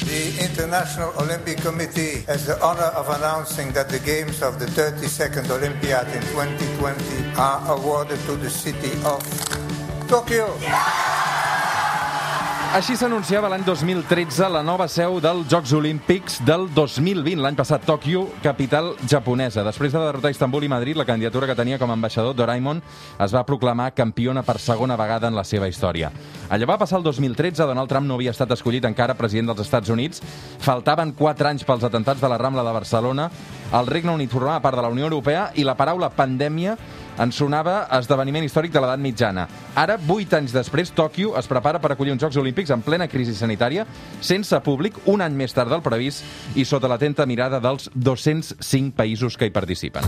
The International Olympic Committee has the honor of announcing that the Games of the 32nd Olympiad in 2020 are awarded to the city of Tokyo. Així s'anunciava l'any 2013 la nova seu dels Jocs Olímpics del 2020, l'any passat, Tòquio, capital japonesa. Després de derrotar Istanbul i Madrid, la candidatura que tenia com a ambaixador Doraemon es va proclamar campiona per segona vegada en la seva història. Allò va passar el 2013, Donald Trump no havia estat escollit encara president dels Estats Units, faltaven 4 anys pels atentats de la Rambla de Barcelona, el Regne Unit formava part de la Unió Europea i la paraula pandèmia en sonava esdeveniment històric de l'edat mitjana. Ara, 8 anys després, Tòquio es prepara per acollir uns Jocs Olímpics en plena crisi sanitària, sense públic, un any més tard del previst i sota l'atenta mirada dels 205 països que hi participen.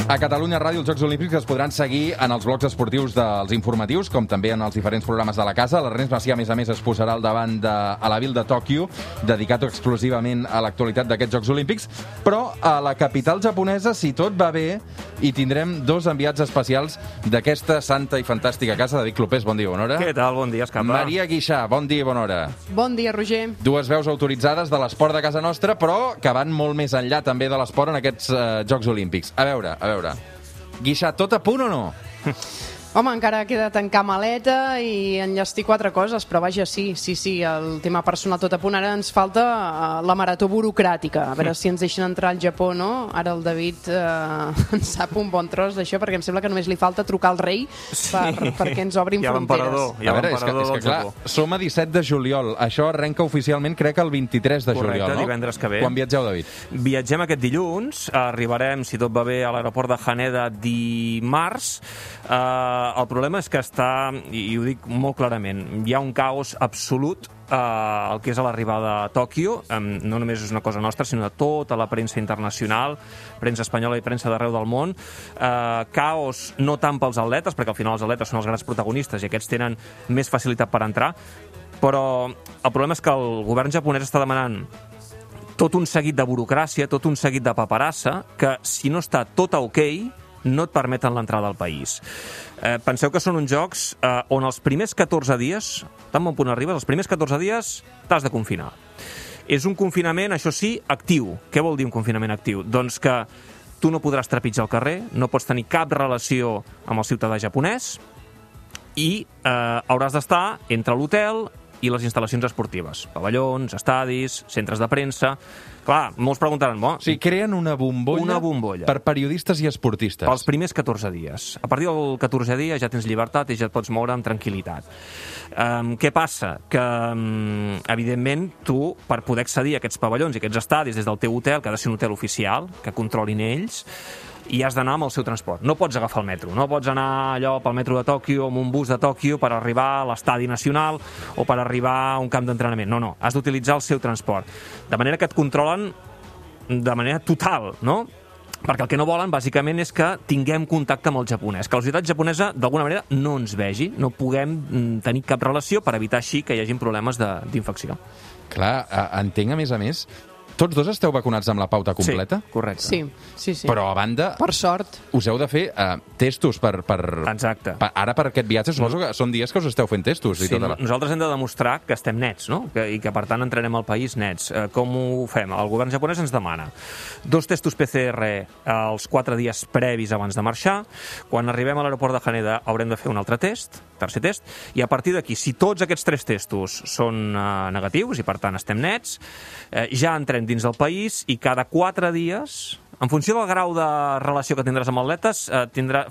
A Catalunya Ràdio, els Jocs Olímpics es podran seguir en els blocs esportius dels informatius, com també en els diferents programes de la casa. L'Ernest Macià, a més, es posarà al davant a la Vil de Tòquio, dedicat exclusivament a l'actualitat d'aquests Jocs Olímpics, però a la capital japonesa, si tot va bé, hi tindrem 2 enviats especials d'aquesta santa i fantàstica casa. David Clopés, bon dia i bona hora. Què tal? Bon dia, Escapa. Maria Guixà, bon dia i bona hora. Bon dia, Roger. 2 veus autoritzades de l'esport de casa nostra, però que van molt més enllà també de l'esport en aquests Jocs Olímpics. A veure. Guixà, tot a punt o no? Home, encara queda tancar maleta i enllestir 4 coses, però vaja, sí, el tema personal tot a punt. Ara ens falta la marató burocràtica, a veure si ens deixen entrar al Japó, no? Ara el David en sap un bon tros d'això, perquè em sembla que només li falta trucar al rei perquè ens obrin fronteres. A veure, és que clar, som a 17 de juliol, això arrenca oficialment crec el 23 de juliol, no? Correcte, divendres que ve. Quan viatgeu, David? Viatgem aquest dilluns, arribarem, si tot va bé, a l'aeroport de Haneda dimarts. El problema és que està, i ho dic molt clarament, hi ha un caos absolut el que és a l'arribada a Tòquio. No només és una cosa nostra, sinó de tota la premsa internacional, premsa espanyola i premsa d'arreu del món. Caos no tant pels atletes, perquè al final els atletes són els grans protagonistes i aquests tenen més facilitat per entrar, però el problema és que el govern japonès està demanant tot un seguit de burocràcia, tot un seguit de paperassa, que si no està tot a ok, no et permeten l'entrada al país. Penseu que són uns jocs on els primers 14 dies, tan bon punt arribes, els primers 14 dies t'has de confinar. És un confinament, això sí, actiu. Què vol dir un confinament actiu? Doncs que tu no podràs trepitjar al carrer, no pots tenir cap relació amb el ciutadà japonès i hauràs d'estar entre l'hotel i les instal·lacions esportives. Pavellons, estadis, centres de premsa. Clar, molts preguntaran... O sigui, creen una bombolla per periodistes i esportistes. Pels primers 14 dies. A partir del 14è dia ja tens llibertat i ja et pots moure amb tranquil·litat. Què passa? Que, evidentment, tu, per poder accedir a aquests pavellons i aquests estadis des del teu hotel, que ha de ser un hotel oficial, que controlin ells, i has d'anar amb el seu transport. No pots agafar el metro. No pots anar allò pel metro de Tòquio amb un bus de Tòquio per arribar a l'estadi nacional o per arribar a un camp d'entrenament. No. Has d'utilitzar el seu transport. De manera que et controlen de manera total, no? Perquè el que no volen, bàsicament, és que tinguem contacte amb el japonès, que la societat japonesa, d'alguna manera, no ens vegi, no puguem tenir cap relació per evitar així que hi hagin problemes d'infecció. Clar, entenc, a més, tots 2 esteu vacunats amb la pauta completa? Sí, correcte. Sí. Però, a banda... Per sort. Us heu de fer testos per... Exacte. Ara, per aquest viatge, suposo que són dies que us esteu fent testos. Sí, nosaltres hem de demostrar que estem nets, no? I que, per tant, entrarem al país nets. Com ho fem? El govern japonès ens demana 2 testos PCR els 4 dies previs abans de marxar. Quan arribem a l'aeroport de Haneda haurem de fer un altre test, tercer test, i a partir d'aquí, si tots aquests 3 testos són negatius i, per tant, estem nets, ja entrem dins del país i cada 4 dies, en funció del grau de relació que tindràs amb atletes,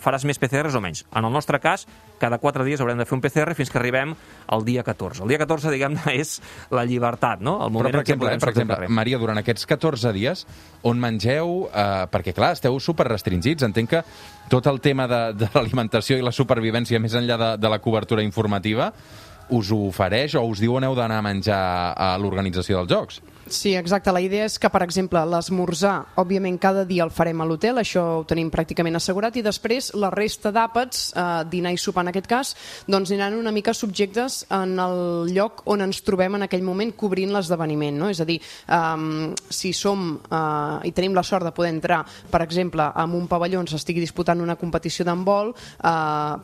faràs més PCRs o menys. En el nostre cas, cada 4 dies haurem de fer un PCR fins que arribem al dia 14. El dia 14, diguem-ne, és la llibertat, no? El moment. Però, per exemple, Maria, durant aquests 14 dies, on mengeu... perquè, clar, esteu superrestringits. Entenc que tot el tema de l'alimentació i la supervivència, més enllà de la cobertura informativa, us ho ofereix o us diu on heu d'anar a menjar a l'organització dels Jocs? Sí, exacte. La idea és que, per exemple, l'esmorzar, òbviament cada dia el farem a l'hotel, això ho tenim pràcticament assegurat, i després la resta d'àpats, dinar i sopar en aquest cas, doncs aniran una mica subjectes en el lloc on ens trobem en aquell moment cobrint l'esdeveniment, no? És a dir, si som i tenim la sort de poder entrar, per exemple, en un pavelló on s'estigui disputant una competició d'handbol,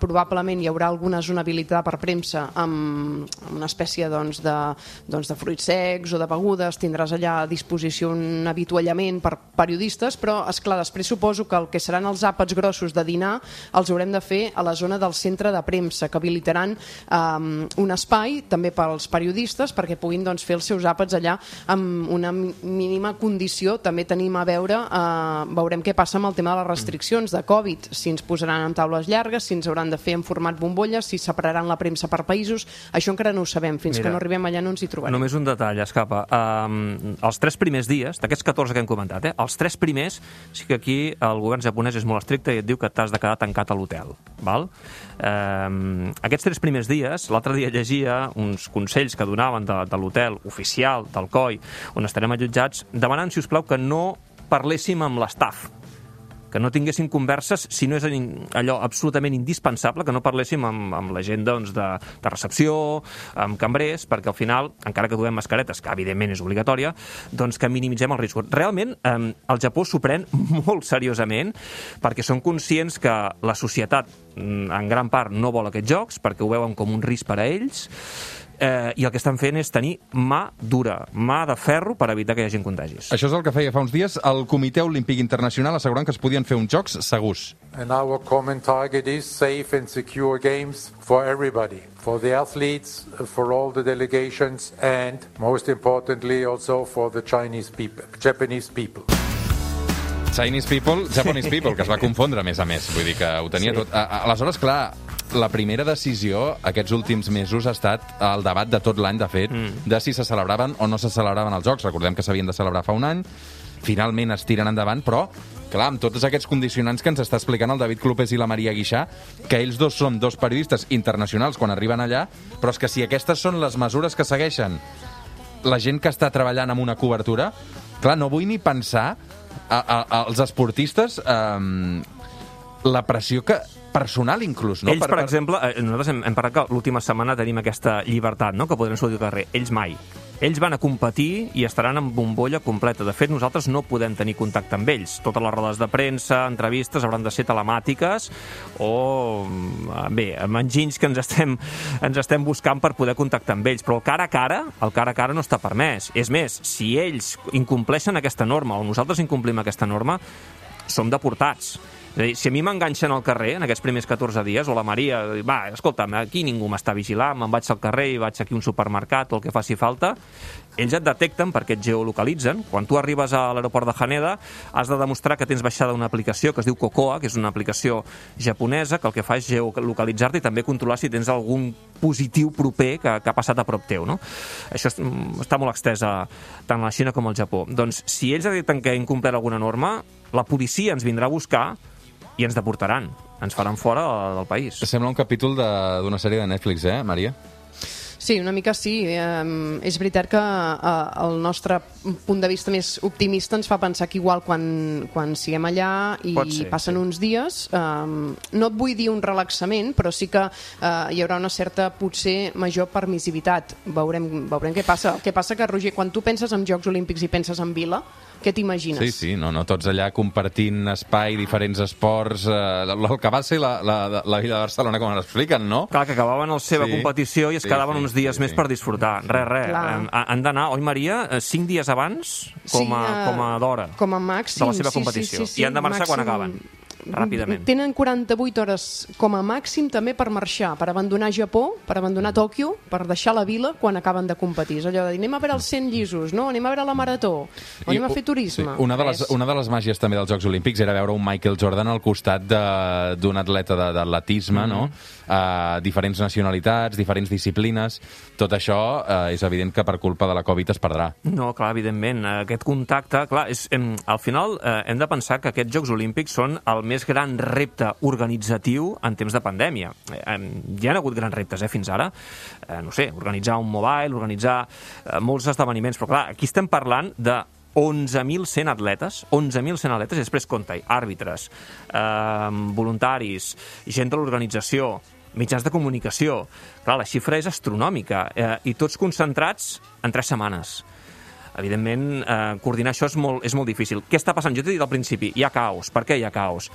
probablement hi haurà alguna zona habilitada per premsa amb una espècie de fruits secs o de begudes, tindràs allà a disposició un avituallament per periodistes, però, esclar, després suposo que el que seran els àpats grossos de dinar els haurem de fer a la zona del centre de premsa, que habilitaran un espai també pels periodistes perquè puguin fer els seus àpats allà amb una mínima condició. També tenim a veure, veurem què passa amb el tema de les restriccions de Covid, si ens posaran en taules llargues, si ens hauran de fer en format bombolles, si separaran la premsa per països, això encara no ho sabem, fins que no arribem allà no ens hi trobarem. Només un detall, Escapa. Els 3 primers dies, d'aquests 14 que hem comentat, els 3 primers, sí que aquí el govern japonès és molt estricte i et diu que t'has de quedar tancat a l'hotel. Aquests 3 primers dies, l'altre dia llegia uns consells que donaven de l'hotel oficial, del COI, on estarem allotjats, demanant, si us plau, que no parléssim amb l'estaf, que no tinguéssim converses si no és allò absolutament indispensable, que no parléssim amb la gent de recepció, amb cambrers, perquè al final, encara que duem mascaretes, que evidentment és obligatòria, doncs que minimitzem els riscos. Realment, el Japó s'ho pren molt seriosament, perquè són conscients que la societat, en gran part, no vol aquests jocs, perquè ho veuen com un risc per a ells, i el que estan fent és tenir mà dura, mà de ferro per evitar que hi hagi contagis. Això és el que feia fa uns dies el Comitè Olímpic Internacional, assegurant que es podien fer uns jocs segurs. And our common target is safe and secure games for everybody, for the athletes, for all the delegations, and most importantly also for the Japanese people. Japanese people, que es va confondre, a més, vull dir que ho tenia tot. Aleshores, clar, la primera decisió aquests últims mesos ha estat el debat de tot l'any, de fet, de si se celebraven o no se celebraven els Jocs. Recordem que s'havien de celebrar fa un any, finalment es tiren endavant, però, clar, amb tots aquests condicionants que ens està explicant el David Clopés i la Maria Guixà, que ells dos són 2 periodistes internacionals quan arriben allà, però és que si aquestes són les mesures que segueixen la gent que està treballant amb una cobertura, clar, no vull ni pensar als esportistes la pressió que personal inclús, no? Ells, per exemple, nosaltres hem parlat que l'última setmana tenim aquesta llibertat, no?, que podrem sortir al carrer. Ells mai. Ells van a competir i estaran en bombolla completa. De fet, nosaltres no podem tenir contacte amb ells. Totes les rodes de premsa, entrevistes, hauran de ser telemàtiques o, bé, amb enginys que ens estem buscant per poder contactar amb ells. Però el cara a cara no està permès. És més, si ells incompleixen aquesta norma o nosaltres incomplim aquesta norma, som deportats. És a dir, si a mi m'enganxen al carrer en aquests primers 14 dies, o la Maria, va, escolta'm, aquí ningú m'està vigilant, me'n vaig al carrer i vaig aquí a un supermercat o el que faci falta, ells et detecten perquè et geolocalitzen. Quan tu arribes a l'aeroport de Haneda, has de demostrar que tens baixada una aplicació que es diu Cocoa, que és una aplicació japonesa, que el que fa és geolocalitzar-te i també controlar si tens algun positiu proper que ha passat a prop teu, no? Això està molt extès tant a la Xina com al Japó. Doncs, si ells detecten que ha incomplert alguna norma, la policia ens vindrà a buscar i ens deportaran, ens faran fora del país. Sembla un capítol d'una sèrie de Netflix, Maria? Sí, una mica sí. És veritat que el nostre punt de vista més optimista ens fa pensar que igual quan siguem allà i passen uns dies, no et vull dir un relaxament, però sí que hi haurà una certa, potser, major permissivitat. Veurem què passa. El que passa que, Roger, quan tu penses en Jocs Olímpics i penses en Vila, què t'imagines? Sí, no, tots allà compartint espai, diferents esports, el que va ser la Vila de Barcelona, com l'expliquen, no? Clar, que acabaven la seva competició i es quedaven uns dies més per disfrutar. Res. Han d'anar, oi, Maria, 5 dies abans com a d'hora com a màxim, de la seva competició. I han de marxar quan acaben. Ràpidament. Tenen 48 hores com a màxim també per marxar, per abandonar Japó, per abandonar Tòquio, per deixar la vila quan acaben de competir. És allò de dir, anem a veure els 100 llisos, no? Anem a veure la marató, o anem a fer turisme. Sí. Una de les màgies també dels Jocs Olímpics era veure un Michael Jordan al costat d'un atleta d'atletisme, no? Diferents nacionalitats, diferents disciplines. Tot això és evident que per culpa de la Covid es perdrà. No, clar, evidentment. Aquest contacte, clar, al final hem de pensar que aquests Jocs Olímpics són el més gran repte organitzatiu en temps de pandèmia. Hi ha hagut grans reptes fins ara, no sé, organitzar un mobile, organitzar molts esdeveniments, però clar, aquí estem parlant de 11.100 atletes, i després compta-hi àrbitres, voluntaris, gent de l'organització, mitjans de comunicació. Clar, la xifra és astronòmica i tots concentrats en 3 setmanes. Evidentment, coordinar això és molt difícil. Què està passant? Jo t'he dit al principi, hi ha caos. Per què hi ha caos?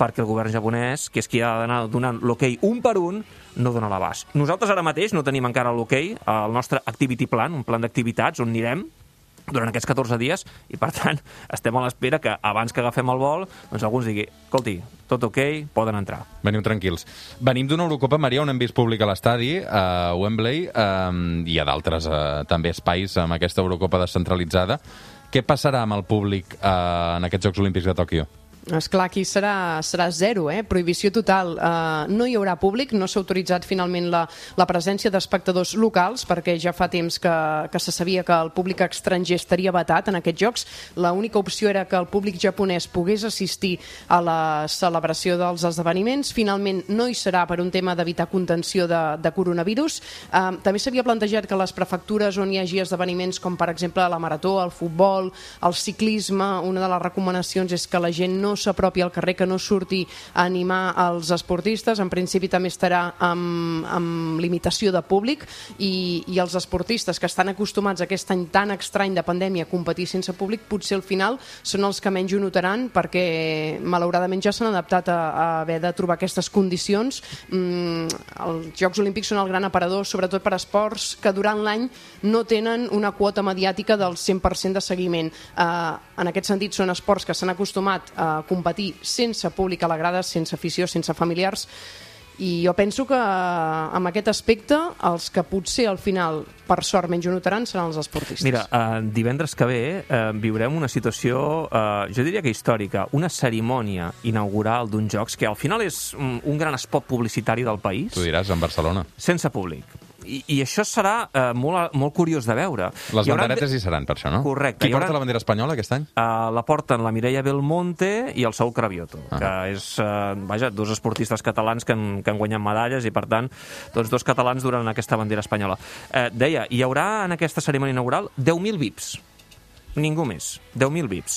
Perquè el govern japonès, que és qui ha d'anar donant l'hoquei un per un, no dona l'abast. Nosaltres ara mateix no tenim encara l'hoquei, el nostre activity plan, un plan d'activitats on anirem durant aquests 14 dies, i per tant estem a l'espera que abans que agafem el vol doncs algú ens digui, escolti, tot ok, poden entrar. Veniu tranquils. Venim d'una Eurocopa, Maria, on hem vist públic a l'estadi, a Wembley, i a d'altres també espais amb aquesta Eurocopa descentralitzada. Què passarà amb el públic en aquests Jocs Olímpics de Tòquio? Esclar, aquí serà zero, prohibició total. No hi haurà públic, no s'ha autoritzat finalment la presència d'espectadors locals, perquè ja fa temps que se sabia que el públic estranger estaria vetat en aquests jocs. L'única opció era que el públic japonès pogués assistir a la celebració dels esdeveniments. Finalment no hi serà per un tema d'evitar contenció de coronavirus. També s'havia plantejat que les prefectures on hi hagi esdeveniments com per exemple la marató, el futbol, el ciclisme, una de les recomanacions és que la gent no s'apropi al carrer, que no surti a animar els esportistes. En principi també estarà amb limitació de públic i els esportistes que estan acostumats a aquest any tan estrany de pandèmia a competir sense públic, potser al final són els que menys ho notaran, perquè malauradament ja s'han adaptat a haver de trobar aquestes condicions. Els Jocs Olímpics són el gran aparador, sobretot per esports que durant l'any no tenen una quota mediàtica del 100% de seguiment. En aquest sentit són esports que s'han acostumat a competir sense públic a la grada, sense afició, sense familiars, i jo penso que amb aquest aspecte els que potser al final per sort menys ho notaran seran els esportistes. Mira, divendres que ve viurem una situació, jo diria que històrica, una cerimònia inaugural d'uns jocs que al final és un gran spot publicitari del país. Tu diràs, en Barcelona. Sense públic. I això serà molt curiós de veure. Les banderetes hi seran, per això, no? Correcte. Qui porta la bandera espanyola aquest any? La porten la Mireia Belmonte i el Saúl Cravioto, que és, dos esportistes catalans que han guanyat medalles i, per tant, tots dos catalans duran aquesta bandera espanyola. Deia, hi haurà en aquesta cerimònia inaugural 10.000 VIPs. Ningú més. 10.000 VIPs.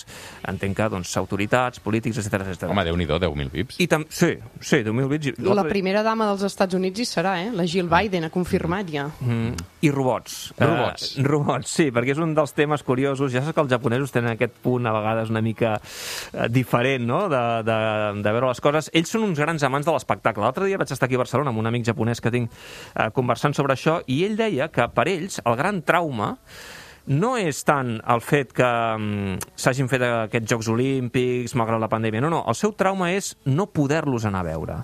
Entenc que, doncs, autoritats, polítics, etc. Home, Déu-n'hi-do, 10.000 VIPs. Sí, 10.000 VIPs. La primera dama dels Estats Units hi serà, la Jill Biden, ha confirmat ja. I robots. Robots, sí, perquè és un dels temes curiosos. Ja saps que els japonesos tenen aquest punt, a vegades, una mica diferent, no?, de veure les coses. Ells són uns grans amants de l'espectacle. L'altre dia vaig estar aquí a Barcelona amb un amic japonès que tinc conversant sobre això, i ell deia que per ells el gran trauma no és tant el fet que s'hagin fet aquests Jocs Olímpics malgrat la pandèmia, no. El seu trauma és no poder-los anar a veure.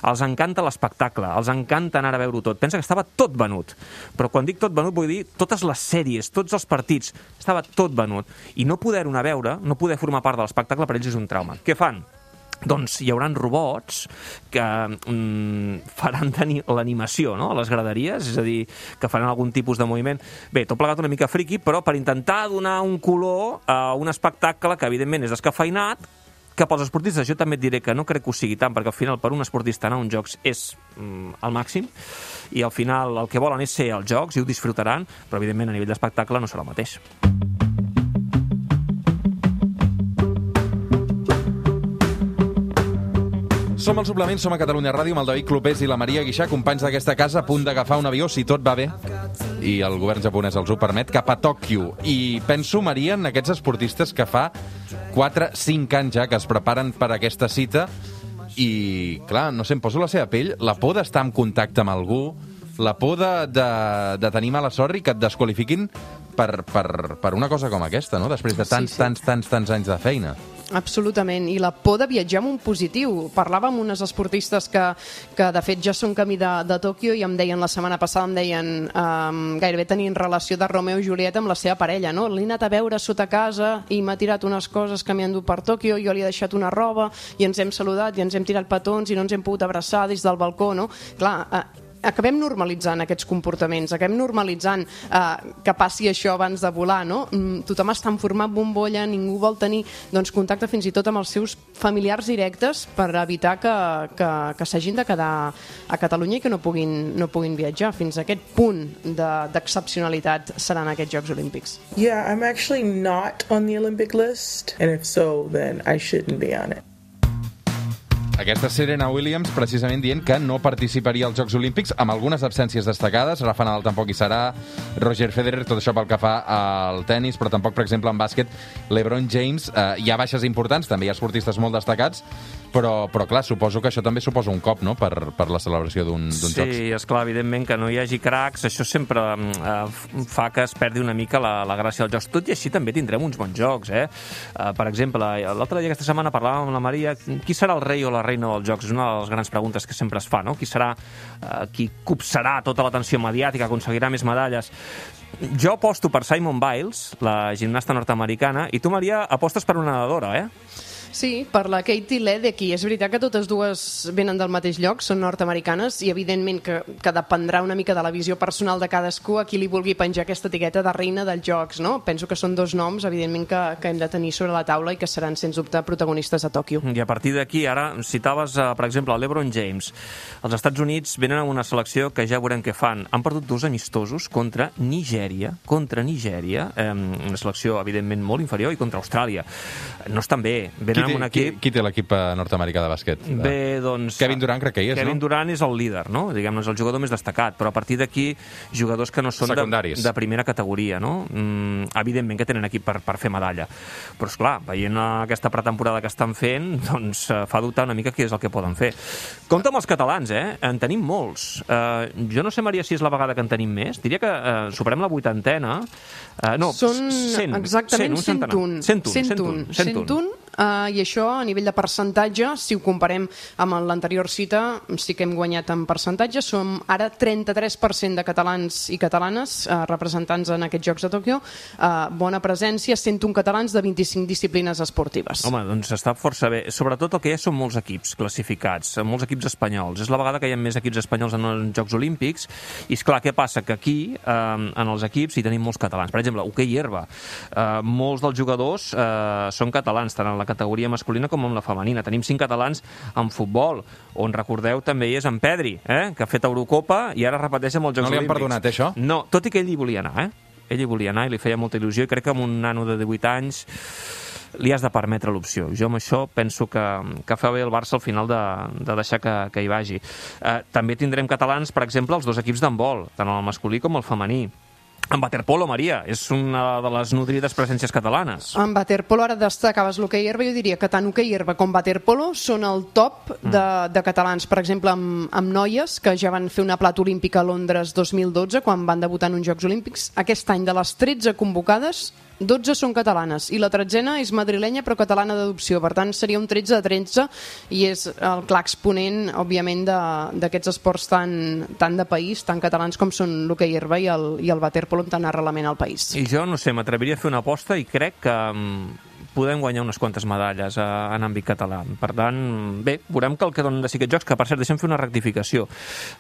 Els encanta l'espectacle, els encanta anar a veure-ho tot. Pensa que estava tot venut. Però quan dic tot venut vull dir totes les sèries, tots els partits, estava tot venut. I no poder-ho anar a veure, no poder formar part de l'espectacle, per ells és un trauma. Què fan? Doncs hi haurà robots que faran l'animació, no?, a les graderies, és a dir, que faran algun tipus de moviment. Bé, tot plegat una mica friqui, però per intentar donar un color a un espectacle que, evidentment, és descafeinat, que pels esportistes jo també et diré que no crec que ho sigui tant, perquè al final per un esportista anar a uns jocs és el màxim, i al final el que volen és ser als jocs i ho disfrutaran, però evidentment a nivell d'espectacle no serà el mateix. Som al Suplement, som a Catalunya Ràdio amb el David Clopés i la Maria Guixà, companys d'aquesta casa, a punt d'agafar un avió, si tot va bé, i el govern japonès els ho permet, cap a Tòquio. I penso, Maria, en aquests esportistes que fa 4-5 anys ja que es preparen per aquesta cita i, clar, no sé, em poso la seva pell, la por d'estar en contacte amb algú, la por de tenir mala sort i que et desqualifiquin per una cosa com aquesta, no?, després de tants anys de feina. Absolutament, i la por de viatjar amb un positiu. Parlava amb unes esportistes que de fet ja són camí de Tòquio i em deien la setmana passada, gairebé tenien relació de Romeo i Julieta amb la seva parella, no? L'he anat a veure sota casa i m'ha tirat unes coses que m'hi han dut per Tòquio, jo li he deixat una roba i ens hem saludat i ens hem tirat petons i no ens hem pogut abraçar des del balcó, no? Clar, acabem normalitzant aquests comportaments, acabem normalitzant que passi això abans de volar, no? Tothom està en format bombolla, ningú vol tenir contacte fins i tot amb els seus familiars directes per evitar que s'hagin de quedar a Catalunya i que no puguin viatjar. Fins a aquest punt d'excepcionalitat seran aquests Jocs Olímpics. Yeah, I'm actually not on the Olympic list, and if so, then I shouldn't be on it. Aquesta Serena Williams precisament dient que no participaria als Jocs Olímpics, amb algunes absències destacades. Rafa Nadal tampoc hi serà, Roger Federer, tot això pel que fa al tennis, però tampoc, per exemple, en bàsquet, LeBron James. Hi ha baixes importants, també hi ha esportistes molt destacats, però clar, suposo que això també suposa un cop, no?, per la celebració d'un Jocs. Sí, esclar, evidentment que no hi hagi cracs, això sempre fa que es perdi una mica la gràcia dels Jocs. Tot i així també tindrem uns bons Jocs, Per exemple, l'altre dia, aquesta setmana, parlàvem amb la Maria, qui serà el rei o la reina dels Jocs? És una de les grans preguntes que sempre es fa, no? Qui serà qui copsarà tota l'atenció mediàtica, aconseguirà més medalles? Jo aposto per Simone Biles, la gimnasta nord-americana, i tu, Maria, apostes per una nedadora, Sí, per la Katie Ledecky. És veritat que totes dues venen del mateix lloc, són nord-americanes, i evidentment que dependrà una mica de la visió personal de cadascú a qui li vulgui penjar aquesta etiqueta de reina dels Jocs, no? Penso que són dos noms, evidentment, que hem de tenir sobre la taula i que seran, sens dubte, protagonistes a Tòquio. I a partir d'aquí, ara, citaves, per exemple, el LeBron James. Els Estats Units venen amb una selecció que ja veurem què fan. Han perdut 2 amistosos contra Nigèria, una selecció, evidentment, molt inferior, i contra Austràlia. No estan bé, venen amb un equip... Qui té l'equip nord-americà de bàsquet? Bé, doncs... Kevin Durant crec que hi és, Kevin Durant és el líder, no? Diguem-ne, és el jugador més destacat, però a partir d'aquí, jugadors que no són de primera categoria, no? Evidentment que tenen equip per fer medalla. Però, esclar, veient aquesta pretemporada que estan fent, doncs fa dubtar una mica què és el que poden fer. Compte amb els catalans, en tenim molts. Jo no sé, Maria, si és la vegada que en tenim més. Diria que superem la 80ena. No, són 100, exactament 101. I això, a nivell de percentatge, si ho comparem amb l'anterior cita, sí que hem guanyat en percentatge. Som ara 33% de catalans i catalanes representants en aquests Jocs de Tòquio. Bona presència, 101 catalans de 25 disciplines esportives. Home, doncs està força bé. Sobretot el que hi ha són molts equips classificats, molts equips espanyols. És la vegada que hi ha més equips espanyols en els Jocs Olímpics. I, esclar, què passa? Que aquí, en els equips, hi tenim molts catalans. Per exemple, hoquei herba. Molts dels jugadors són catalans, tant en la categoria masculina com en la femenina. Tenim 5 catalans en futbol, on, recordeu, també hi és en Pedri, que ha fet Eurocopa i ara repeteix amb els Jocs Olímpics. No li han perdonat, això? No, tot i que ell hi volia anar, Ell hi volia anar i li feia molta il·lusió, i crec que amb un nano de 18 anys li has de permetre l'opció. Jo amb això penso que fa bé el Barça al final de deixar que hi vagi. També tindrem catalans, per exemple, els 2 equips d'handbol, tant el masculí com el femení. En waterpolo, Maria, és una de les nodrides presències catalanes. En waterpolo, ara destacaves l'hoquei herba, jo diria que tant hoquei herba com waterpolo són el top de catalans. Per exemple, amb noies, que ja van fer una plata olímpica a Londres 2012, quan van debutar en uns Jocs Olímpics. Aquest any, de les 13 convocades, 12 són catalanes, i la 13a és madrilenya però catalana d'adopció. Per tant, seria un 13 de 13, i és el clar exponent, òbviament, d'aquests esports tan de país, tan catalans com són l'hoquei herba i el waterpolo, amb tant arrelament al país. I jo, no sé, m'atreviria a fer una aposta i crec que podem guanyar unes quantes medalles en àmbit català. Per tant, bé, veurem que el que donen de si aquests Jocs, que per cert, deixem fer una rectificació.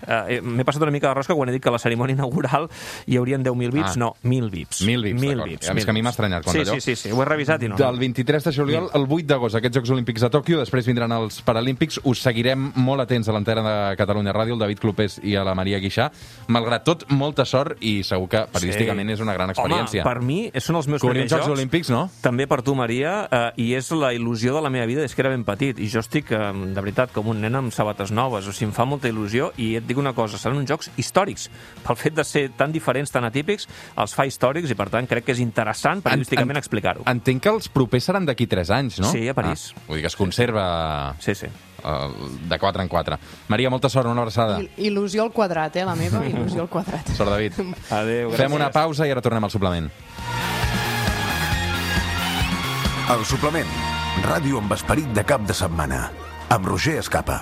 M'he passat una mica de rosca quan he dit que a la cerimònia inaugural hi haurien 10.000 VIPs. No, 1.000 VIPs. 1.000 VIPs, a més que a mi m'ha estranyat quan allò. Sí, ho he revisat i no. Del 23 de juliol al 8 d'agost, aquests Jocs Olímpics a Tòquio, després vindran els Paralímpics. Us seguirem molt atents a l'antena de Catalunya Ràdio, el David Clopés i a la Maria Guixà. Malgrat tot, molta sort, i segur que periodísticament és una gran experiència. Home, per mi són els meus primers Jocs Olímpics, no? També per tu, Maria, i és la il·lusió de la meva vida des que era ben petit, i jo estic, de veritat, com un nen amb sabates noves. O sigui, em fa molta il·lusió, i et dic una cosa, seran uns jocs històrics. Pel fet de ser tan diferents, tan atípics, els fa històrics, i per tant crec que és interessant periodísticament explicar-ho. Entenc que els propers seran d'aquí 3 anys, no? Sí, a París. Vull dir que es conserva... Sí. De 4 en 4. Maria, molta sort, una abraçada. Il·lusió al quadrat, la meva, il·lusió al quadrat. Sort, David. Adéu, gràcies. Fem una pausa i ara tornem al suplement. El suplement. Ràdio amb esperit de cap de setmana. Amb Roger Escapa.